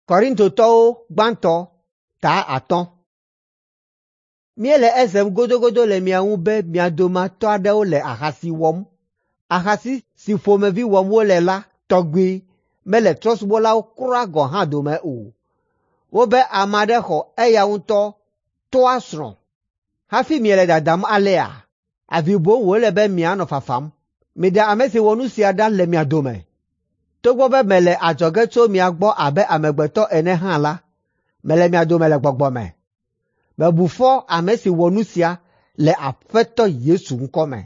Korintotɔwo gbãtɔ ta 5. Míele esem godogodo le mia ŋu be mia dometɔ aɖewo le ahasi wɔm. Ahasi si ƒomevi wɔm wole la tɔgbi mele trɔ̃subɔlawo kura gɔ̃ hã dome o. Wobe ame aɖe xɔ eya ŋutɔ tɔ́a srɔ̃. Hafi miele dadam alea, avi boŋ wòle be mianɔ fafam. Miɖe ame si wɔ nu sia ɖa le mia dome. Togbɔ be mele adzɔge tso mia gbɔ abe amegbetɔ ene hã la, mele mia dome le gbɔgbɔ me. Mebu fɔ ame si wɔ nu sia le Aƒetɔ Yesu ŋkɔme.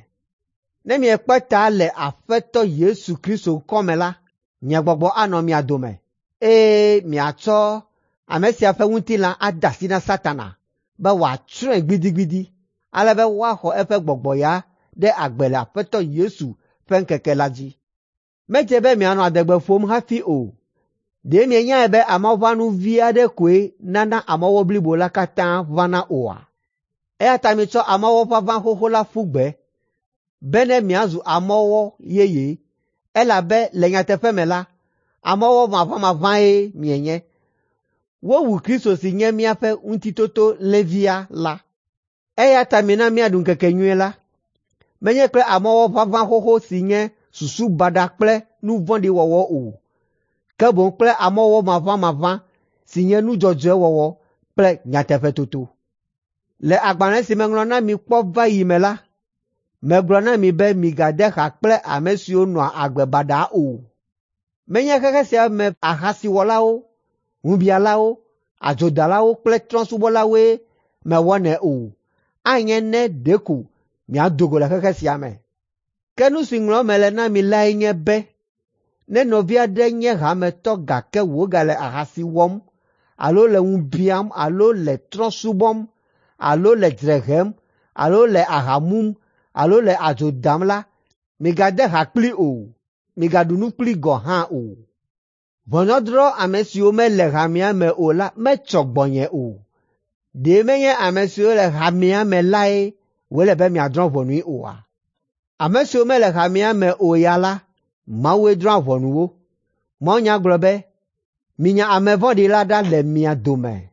Ne miekpe ta le Aƒetɔ Yesu Kristo ŋkɔme la, nye gbɔgbɔ anɔ mia dome, eye miatsɔ ame sia ƒe ŋutilã ade asi na Satana be wòatsrɔ̃e gbidigbidi, ale be woaxɔ eƒe gbɔgbɔ ya ɖe agbe le Aƒetɔ Yesu ƒe ŋkeke la dzi. Medze be mianɔ adegbe ƒom hafi o. Ɖe mienyae be amɔʋãnu vi aɖe koe nana amɔwɔ blibo la katã ʋãna oa? Eya ta mitsɔ amɔwɔ ʋaʋã xoxo la ƒu gbe, bene miazu amɔwɔ yeye, elabe le nyateƒe me la, amɔwɔ maʋamaʋãe mienye. Wowu Kristo si nye míaƒe Ŋutitotolẽvia la. Eya ta mina míaɖu ŋkekenyui la, menye kple amɔwɔ ʋaʋã xoxo si nye susu baɖa kple nu vɔ̃ɖi wɔwɔ o, ke boŋ kple amɔwɔ maʋamaʋã si nye nu dzɔdzɔe wɔwɔ kple nyateƒetoto. Le agbalẽ si meŋlɔ na mi kpɔ va yi me la, megblɔ na mi be migade ha kple ame siwo nɔa agbe baɖa o. Menye xexe sia me ahasiwɔlawo, ŋubiãlawo, adzodalawo kple trɔ̃subɔlawoe mewɔnɛ o, anye ne ɖeko miado go le xexe sia me. Ke nu si ŋlɔm mele na mi lae nye be ne nɔvi aɖe nye hametɔ gake wògale ahasi wɔm alo le ŋu biãm alo le trɔ̃ subɔm alo le dzre hem alo le aha mum alo le adzo dam la, migade ha kplii o, migaɖu nu kplii gɔ̃ hã o. Ʋɔnudɔdrɔ̃ ame siwo mele hamea me o la metsɔ gbɔnye o. Ɖe menye ame siwo le hamea me lae wòle be miadrɔ̃ ʋɔnui oa? Ame siwo mele hamea me o ya la, Mawue drɔ̃a ʋɔnu wo. Mawunya gblɔ be, “Minya ame vɔ̃ɖi la ɖa le mia dome.”